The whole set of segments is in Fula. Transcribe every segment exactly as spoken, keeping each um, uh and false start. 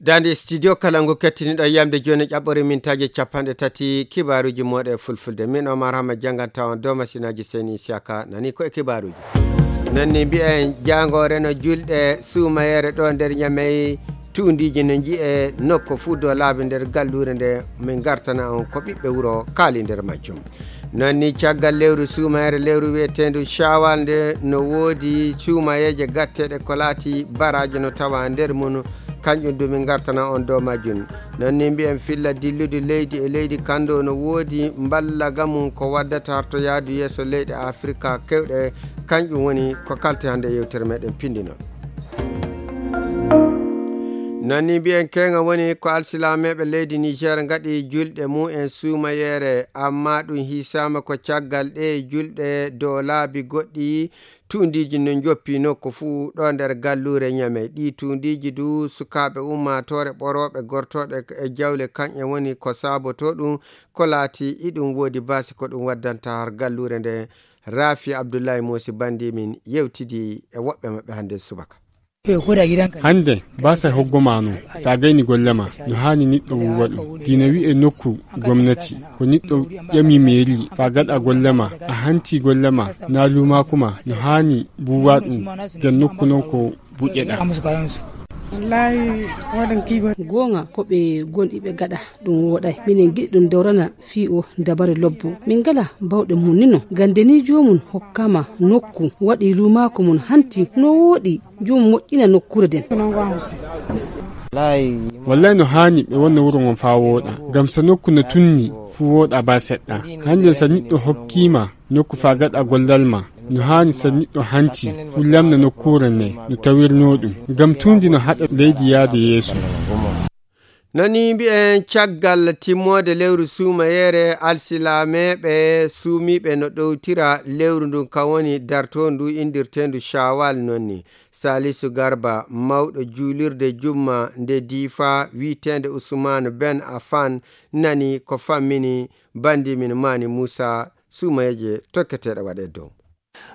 Daande studio kala ngu kettiniɗo yamde jooni ƴaɓɓore mintaaji capanɗe tati kibaaruuji mooɗe fulfulde. Min Omar Hama jannganta on dow masinaaji Seyni Isiyaka nani ko e kibaaruuji. Nonni mbiyen jaangoore no julɗe suumayeere ɗo nder Ñamey tuundiiji no nji'e nokko fuu dow laabi nder galluure nde min ngartana on ko ɓiɓɓe wuro kaali nder majjum. Noon ni caggal lewru suumayere lewru wiyeteendu Shawal nde no woodi suumayeeje gatteeɗe ko laati baraaji no tawa nder mum, kanƴum du min ngartana on dow majjum. Noon ni mbiyen filla dilludu leydi e leydi kanndo no woodi mballaga mum ko waddata harto yaadu yeeso leyɗe Afrika kewɗe, kanƴum woni ko kalte hannde yewtere meɗen pindino. Noon ni mbiyen keeŋa woni ko alsilameeɓe leydi Niger ngaɗi julɗe mum en suumayeere, amma ɗum hiisaama ko caggal ɗe julɗe dow laabi goɗɗi tuundiiji no njoppi nokku fuu ɗo nder galluure Ñamey. Ɗi tuundiiji du sukaaɓe ummaatoore ɓorooɓe gortooɗe e jawle kanƴe woni ko saabotoo ɗum ko laati iɗum woodi baasi ko ɗum waddanta har galluure nde. Rafi Abdullahi Moosi Bandi min yewtidi e woɓɓe maɓɓe hannde subaka. Hannde, baasay hoggo ma no, so a gayni golle ma, no haani niɗɗo wuro ɗum. Diina wi'e nokku gomnati, ko niɗɗo ƴami meeri, faa gaɗa golle ma, a hanti golle ma, na luumaaku ma, no haani buuwa ɗum, ngam nokku non ko buƴƴeɗaa. Goonga ko ɓe gonɗi ɓe gaɗa ɗum wooɗay. Minen ngiɗi ɗum dawrana fii o dabare lobbo. Min ngala bawɗe mum ni non. Ngam de ni joomum hokkama nokku, waɗi luumaaku mum hanti no wooɗi, joomum moƴƴina nokkuure nden. Wallay no haani ɓe wonna wuro ngon faa wooɗa. Ngam so nokku no tunni, fuu wooɗa baa seɗɗa. Hannde so niɗɗo hokkiima nokku faa gaɗa gollal ma, no haani so niɗɗo hanti, fuu lamna nokkuure nde no tawirnoo ɗum. Ngam tuundi no haɗa leydi yaade yeeso. Nani mbi'en caggal timmoode lewru suumayeere alsilameeɓe suumiiɓe no ɗowtira lewru ndun kan woni dartoondu inndirteendu Shawal nonni. Salisu Garba, mawɗo juulirde jumma nde Diifa wi'eteende Usmaan Ben Affan nani ko fammini bandi min Maani Muusa suumayeeje tokketeeɗe waɗee dow.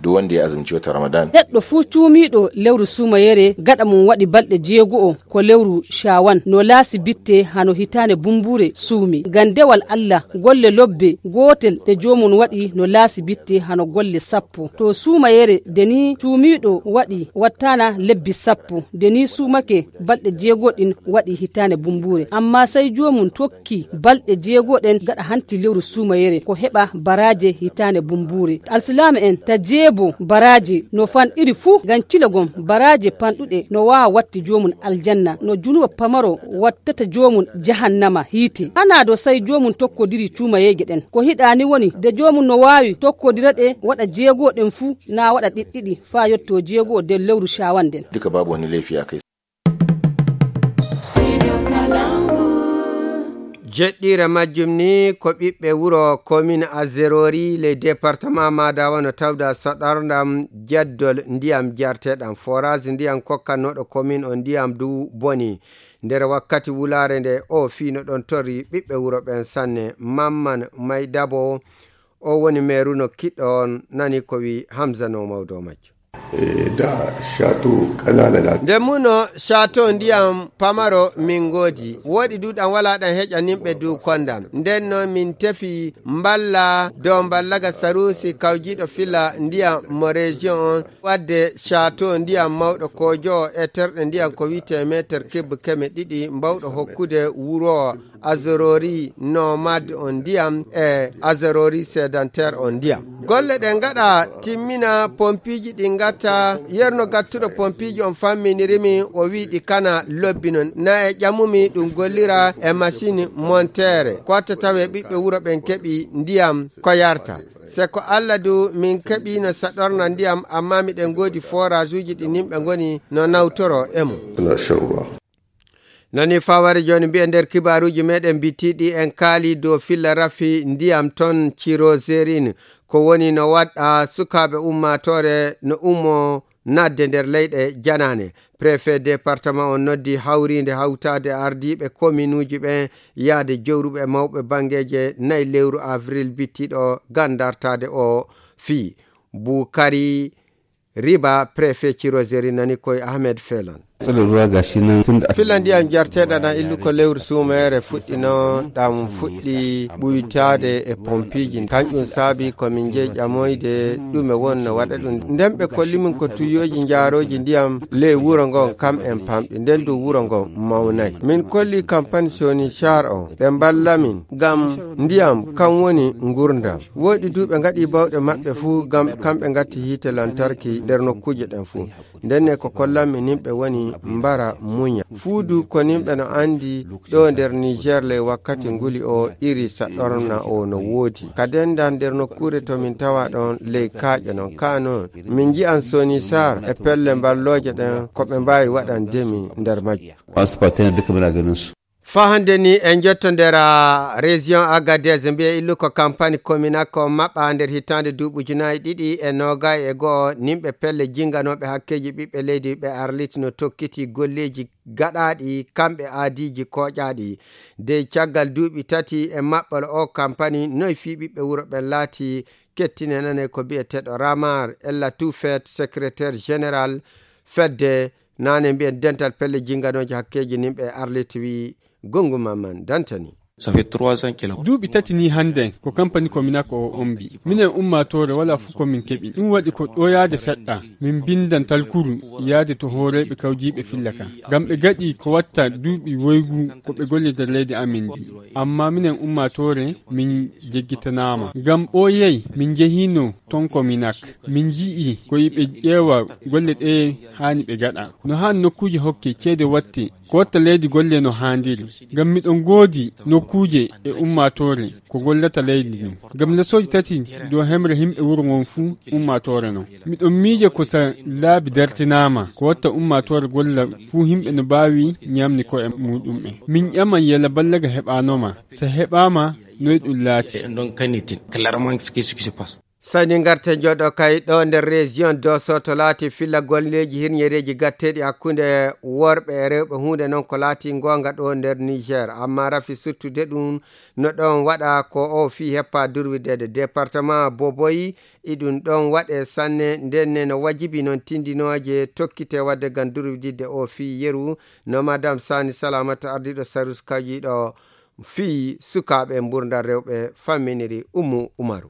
Duk wanda ya azumci watan Ramadan. Neɗɗo fuu cuumiiɗo lewru suumayere, gaɗa mum waɗi balɗe jeego'o ko lewru Shaawan, no laasi bitte hano hitaande bumbuure suumi. Ngam dewal Allah, golle lobbe gootel ɗe joomum waɗi no laasi bitte hano golle sappo. To suumayere, de ni cuumiiɗo waɗi wattaana lebbi sappo, de ni suumake balɗe jeego ɗin waɗi hitaande bumbuure. Amma sey joomum tokki balɗe jeego ɗen gaɗa hanti lewru suumayere, ko heɓa baraaje hitaande bumbuure. Alsilaama'en ta jeebo baraaje no fanɗiri fuu, ngam cilagol baraaje panɗuɗe no waawa watti joomum aljanna, no junuba pamaro wattata joomum jahannama hiite. Hanaa do sey joomum tokkodiri cuumayeeje ɗen. Ko hiɗaani woni de joomum no waawi tokkodira ɗe, waɗa jeego ɗen fuu, naa waɗa ɗiɗɗiɗi faa yotto jeego nder lewru Shaawan nden. Duka babu wani laifi a kai. Jeɗɗiire majjum ni ko ɓiɓɓe wuro commune Azerori, le département Madawa no tawda saɗardam jaddol ndiyam jarteɗam. Forage ndiyam kokkannooɗo commune on ndiyam du boni. Nder wakkati wulaare nde o fii no ɗon torri ɓiɓɓe wuro ɓen sanne. Mamman May Dabo, o woni meeru no kiɗɗo on, nani ko wi Hamza no mawdo majjo. E, da shato ƙanana na. Nde muno shato ndiyam pamaro min ngoodi. Woɗi du ɗam wala ɗam heƴa nimɓe du kondam. Nden non min tefi mballa dow mballaga Sarusi kawjiiɗo fila ndiyam mo région on. Wadde shato ndiyam mawɗo ko jowo e terɗe ndiyam ko wi'ete meeter kibbe keme ɗiɗi mbawɗo hokkude wuro Azorori nomade on ndiyam e Azorori sédentaire on ndiyam. Golle ɗe ngaɗa timmina pompiiji ɗi ngatta yerno gattuɗo pompiiji on famminirimi o wi'i ɗi kana lobbi non. Na e ƴamumi ɗum gollira e machine montere. Ko watta tawe ɓiɓɓe wuro ɓen keɓi ndiyam ko yarta. Se ko Allah du min keɓi no saɗorna ndiyam amma miɗen ngoodi forage uji ɗi nimɓe ngoni no nawtoro e mum. Nani faware jooni mbi'en nder kibaaruuji meɗen bittiɗi en kaali dow filla rafi ndiyam ton Cirozerin, ko woni no waɗa sukaaɓe ummaatoore no ummo naatde nder leyɗe janaane. Préfet département on noddi hawriinde hawtaade ardiiɓe kominuuji ɓen yaade jowruɓe mawɓe banngeeje nayi lewru avril bittiɗo ngam dartaade o fii. Bukari Riba, préfet Cirozerin nani koye Ahmed Felon. Tsadarwa ga shi nan tun da aka filla ndiyam jarteeɗam ɗam illuko lewru suumeere fuɗɗino, ɗam fuɗɗi ɓuytaade e pompiiji. Kanƴum saabi ko min njeyi ƴamoyde ɗume won no waɗa ɗum. Nden ɓe kolli min ko tuyooji njaarooji ndiyam ley wuro ngon, kam en pamɗi. Nden du wuro ngon mawnay. Min kolli kampani Soni Sar on, ɓe mballa min. Ngam ndiyam kam woni ngurndan. Woɗi du ɓe ngaɗi bawɗe maɓɓe fuu ngam kamɓe ngatti hiite lantarki nder nokkuuje ɗen fuu. Ndenne ko kollanmi nin ɓe woni mbara muña. Fuu du ko nin ɓe no anndi ɗo nder Niger ley wakkati nguli o iri saɗorna o no woodi. Ka dendan nder nokkuure to min tawa ɗon ley kaaƴe non. Kaa non, min nji'an Soni Sar e pelle mballooje ɗen ko ɓe mbaawi waɗande mi nder majje. Wasu partner duka muna ganin su. Faa hannde ni en njottondera région Agadez, mbiye illuko kampani Kominako maɓɓa nder hitaande duuɓi ujunaaji ɗiɗi e noogay e go'o, nimɓe pelle jinganooɓe hakkeeji ɓiɓɓe leydi ɓe Arlit no tokkiti golleeji gaɗaaɗi kamɓe aadiiji kooƴaaɗi. Dey caggal duuɓi tati e maɓɓol o kampani, noy fii ɓiɓɓe wuro ɓen laati? Kettine nane ko bi'eteeɗo Ramar Ella Tufet, secrétaire général fedde nane mbiyen dental pelle jinganooji hakkeeji nimɓe Arlit wi Gongu Mamman Dantani. Ça fait trois ans qu'il a. Duuɓi tati ni hannden ko kampani Kominako o ombi. Minen ummaatoore wala fof ko min keɓi. Ɗum waɗi ko ɗo yaade seɗɗa. Min mbindan talkuru yaade to hooreeɓe kawjiiɓe filla ka. Ngam ɓe gaɗi ko watta duuɓi woygu ko ɓe golle nder leydi amin ndi. Amma minen ummaatoore min jeggitanaama. Ngam ɓooyey min njehiino ton Kominak. Min nji'i ko yiɓe ƴeewa golle ɗe haani ɓe gaɗa. No haan nokkuuje hokke ceede watte. Ko watta leydi golle no haandiri. Ngam miɗo ngoodi nokkuuje e ummaatoore ko gollata leydi ndin. Ngam lesooji tati dow hemre yimɓe wuro ngon fuu ummaatoore non. Miɗo miija ko sa laabi dartinaama, ko watta ummaatoore golla fuu yimɓe no mbaawi ñamni ko'e muuɗum'en. Min ƴaman yala ballaga heɓaanoma. Sa heɓaama, noy ɗum laati? Et donc, qu'en est-il? Clairement, qu'est-ce qui se passe? Sani ngarte jooɗo kay ɗo nder région Dosso to laati filla golleeji hirñereeji gatteeɗi hakkunde worɓe e rewɓe, huunde noon ko laati ngoonga ɗo nder Niger. Amma rafi suttude ɗum no ɗoon waɗa ko o fii heppa durwidede département Boboyi, iɗum ɗoon waɗe sanne, ndenne no wajibi noon tindinooje tokkite waɗde ngam durwididde o fii yeru, no Madame Sani Salamata ardiiɗo sarus kawjiiɗo fii sukaaɓe mburdal rewɓe famminiri Ummu Umaru.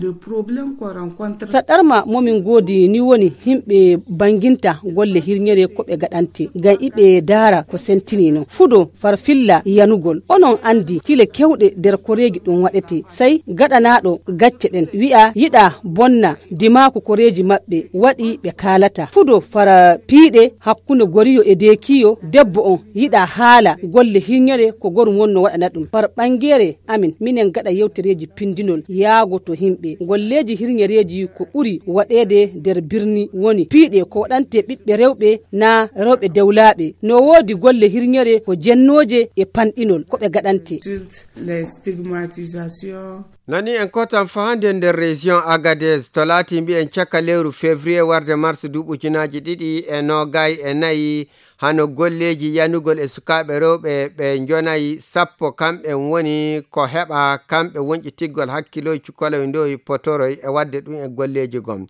Le problème qu'on rencontre. Saɗɗarma momin ngoodi ni woni yimɓe banginta golle hirñere ko ɓe gaɗante, ngam iɓe daara ko sentini non. Fudo farfilla yanugol. Onon andi kile kewɗe nder koreeji ɗum waɗete. Sai gaɗanaaɗo gacce ɗen wi'a yiɗa bonna dimaaku koreeji maɓɓe, waɗi ɓe kaalata. Fudo fara piiɗe hakkunde goriyo e deekiyo, debbo on yiɗa haala golle hirñere ko gorum wonno waɗana ɗum. Far ɓangere amin, minen gaɗa yewtereeji pindinol yaago to yimɓe. Golleeji hirñereeji ko ɓuri waɗeede nder birni woni piiɗe ko waɗante ɓiɓɓe rewɓe naa rewɓe dewlaaɓe. No woodi golle hirñere ko jennooje e panɗinol ko ɓe gaɗante. Insultes, les stigmatisations. Nani en kotan fahande nder région Agadez to laati mbi'en caka lewru février warde mars duuɓi ujunaaji ɗiɗi e noogay e nayi. Hano golleeji yanugol e sukaaɓe rewɓe ɓe njonayi sappo, kamɓe woni ko heɓa kamɓe wonƴitiggol hakkilooji cukaloy ndowi potoroy e waɗde ɗum e golleeji gom.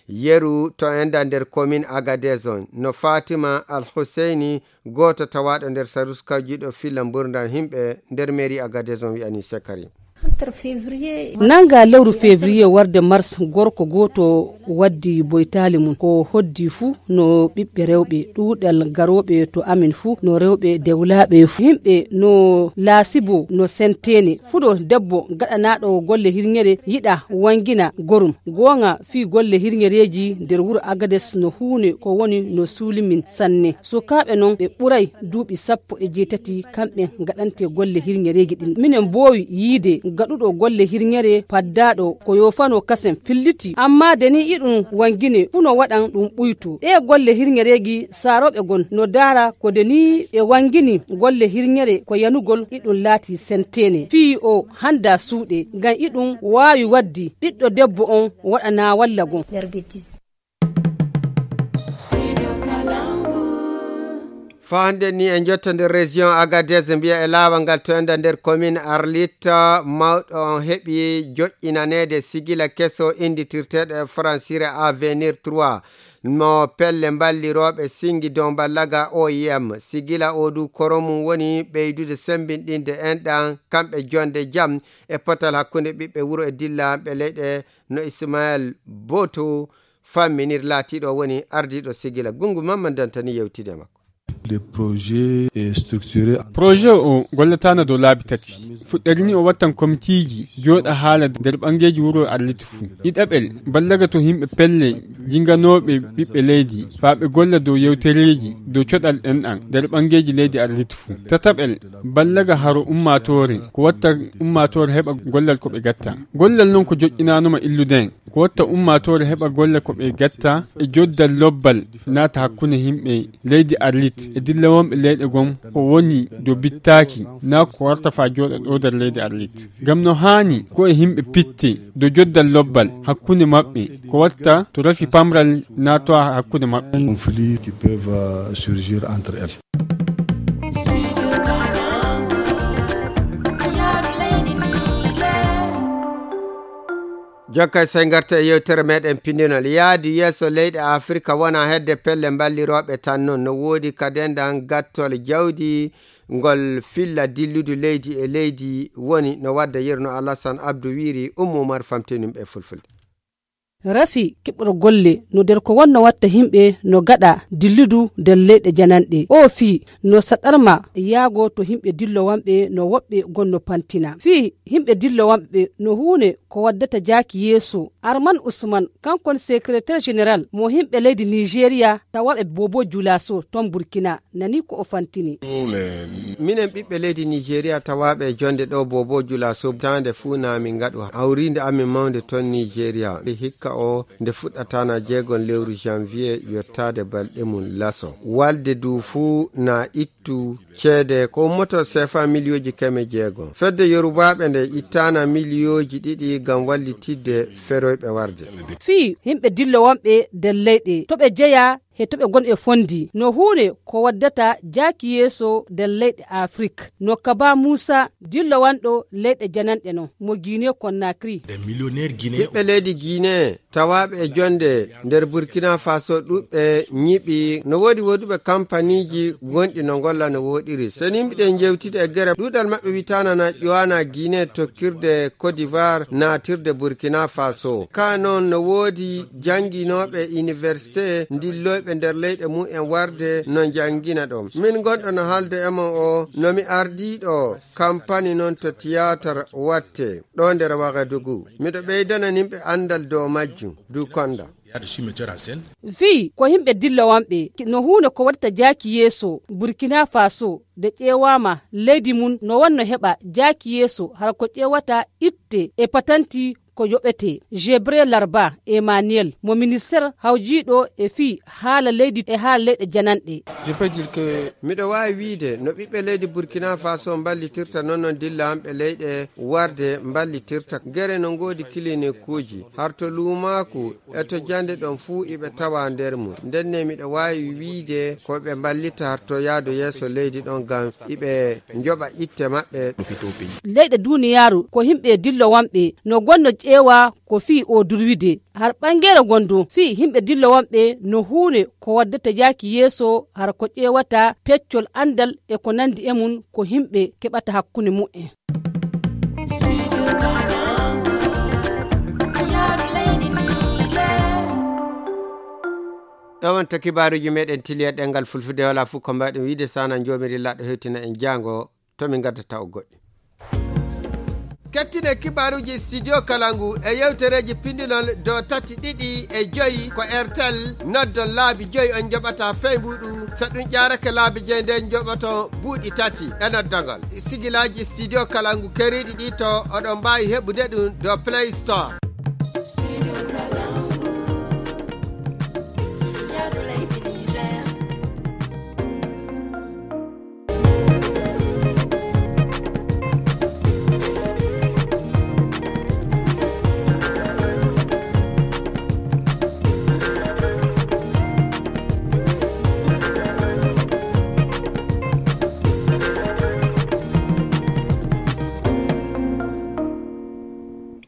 Yeru to enda nder commune Agadez on, no Fatima Al Husseini, gooto tawaaɗo nder sarus kawjiiɗo filla mburdal yimɓe nder mairie Agadez on wi'ani Sekari. Nannga lewru février warde mars, gorko gooto waddi boytaali mum. Ko hoddi fuu no ɓiɓɓe rewɓe, ɗuuɗal garooɓe to amin fuu no rewɓe dewlaaɓe fuu. Yimɓe no laasibo no senteene. Fuɗo debbo gaɗanaaɗo golle hirñere yiɗa wangina gorum. Goonga fii golle hirñereeji nder wuro Agades no huune ko woni no suuli min sanne. Sukaaɓe non ɓe ɓuray duuɓi sappo e jeetati kamɓe gaɗante golle hirñereeji ɗin. Minen mboowi yiide gaɗuɗo golle hirñere paddaaɗo ko yoofano kasen filliti. Amma de ni iɗum wangine fuu no waɗan ɗum ɓuyto. Ɗee golle hirñereeji saarooɓe gon no daara ko de ni ɓe wangini golle hirñere ko yanugol iɗum laati senteene. Fii o handa suuɗe ngam iɗum waawi waddi ɓiɗɗo debbo on waɗana walla gon. Faa hannde ni en njotto nder région Agadez, mbiya e laawol ngal to enda nder commune Arlit, mawɗo on heɓi joƴƴinaneede sigila keso innditirteeɗo e fransire Avenir trois. Mo pelle mballirooɓe singi dow mballaga O I M. Sigila o du koro mum woni ɓeydude semmbinɗinde enɗan, kamɓe jonde jam e potal hakkunde ɓiɓɓe wuro e dillaaɓe leyɗe no Ismael Boto famminir laatiiɗo woni ardiiɗo sigila. Gungu Mamman Dantani yewtide makko. Le projet est structuré en Projet o gollataano dow laabi tati. Fuɗɗere ni o wattan komitiiji jooɗa haala nder ɓangeeji wuro Arlit fuu. Ɗiɗaɓel, ballaga to yimɓe pelle jinganooɓe ɓiɓɓe leydi, faa ɓe golla dow yewtereeji dow coɗal ɗen ɗan nder ɓangeeji leydi Arlit fuu. Tataɓel, ballaga haro ummaatoore, ko watta ummaatoore heɓa gollal ko ɓe gatta. Gollal non ko joƴƴinaanoma illude en, ko watta ummaatoore heɓa golla ko ɓe gatta e joddal lobbal naata hakkunde yimɓe leydi Arlit e dillawonɓe leyɗe gom ko woni do bittaaki naa ko warta faa jooɗa ɗo nder leydi Arlit. Ngam no haani ko e yimɓe pitte do joddal lobbal hakkunde maɓɓe ko watta to rafi pamral naatowa hakkunde maɓɓe. Conflits qui peuvent, euh, surgir entre elles. Jokkay sey ngarta e yewtere meɗen pinndinol. Yaadu yeeso leyɗe Afirka wona hedde pelle mballirooɓe tan non. No woodi kadendan gattol jawdi ngol filla dilludu leydi e leydi woni no wadda yerno Alassane Abdou wiiri Ummu Umar famtinum e fulfulde. Rafi keɓɓor golle no nder ko wonno watta yimɓe no gaɗa dilludu nder leyɗe jananɗe. O fii no saɗarma yaago to yimɓe dillowanɓe no woɓɓe gonno pantina. Fii yimɓe dillowanɓe no huune ko waddata jaaki yeeso. Arman Usman, kankon secrétaire général mo yimɓe leydi Nigeria tawaɓe Bobo Julaso ton Burkina, nani ko o fantini. Minen ɓiɓɓe leydi Nigeria tawaaɓe e jonde ɗo Bobo Jula Sob, taande fuu na min ngaɗu hawriinde amin mawnde ton Nigeria. Hikka o nde fuɗɗata na jeegon lewru janvier yottaade balɗe mum laso. Walde du fuu na ittu ceede ko ummoto sefa miliyooji keme jeegom. Fedde Yorubaaɓe nde ittaana miliyooji ɗiɗi ngam wallitidde feroyɓe warde. Fii yimɓe dillo wonɓe nder leyɗe to ɓe jeyaa he to ɓe ngon e fondi no huunde ko waddata jaaki yeeso nder leyɗe Afrik. No Kaba Muusa, dillowanɗo leyɗe jananɗe non mo Guinée Conakry. Ɓiɓɓe leydi Guinée tawaaɓe e jonde nder Burkina Faso ɗuɓɓe ñiɓi. No woodi woduɓe kampaniiji gonɗi no ngolla no woɗiri. So ni mbiɗen jewtide e gere, ɗuuɗal maɓɓe witaana na ƴowana Guinée tokkirde Côte d'Ivoire naatirde Burkina Faso. Ka noon no woodi jannginooɓe université ndilloyɓe nder leyɗe mum en warde no njanngina ɗoon. Min gonɗo no haalde e mon o, no mi ardiiɗo kampani noon to tiyaatar watte ɗo nder Wagadugu. Miɗo ɓeydana nimɓe anndal dow majjum, du konda. Fii ko yimɓe dillowonɓe no huunde ko waɗata jaaki yeeso Burkina Faso nde ƴeewaama leydi mum no wonno heɓa jaaki yeeso hara ko ƴeewata itte e patanti ko yoɓete. Jebre Larba Emmanuel mo minister hawjiiɗo e fii haala leydi e haala leyɗe jananɗe. Miɗo waawi wiide no ɓiɓɓe leydi Burkina Faso mballitirta noon noon dillawonɓe leyɗe warde mballitirta. Gere no ngoodi kilinikuuji har to luumaaku e to jannde ɗon fuu iɓe tawa nder mum. Ndenne miɗo waawi wiide ko ɓe mballita har to yaadu yeeso leydi ɗon ngam iɓe njoɓa itte maɓɓe. Leyɗe duuniyaaru ko yimɓe dillowonɓe no gonno ƴeewa ko fii o durwide. Har ɓangeere ngon du fii yimɓe dillowonɓe no huunde ko waddata jaaki yeeso har ko ƴeewata peccol anndal e ko nanndi e mum ko yimɓe keɓata hakkunde mumen. Ɗo wonta kibaaruuji meɗen tiliya ɗengal fulfulde wala fof ko mbaɗen wiide sana joomiri laɗɗo hewtina en jaango to min ngadda taw goɗɗi. Kettine kibaaruuji studio kala ngu e yewtereeji pindinol do tati ɗiɗi e joyi ko R T L noddon laabi joyi on njoɓata fey mbuɗu. So ɗum ƴaarake laabi joyi nden njoɓoto buuɗi tati e noddagol. Sigilaaji studio kala ngu keriiɗi ɗi to oɗon mbaawi heɓude ɗum do Play Store.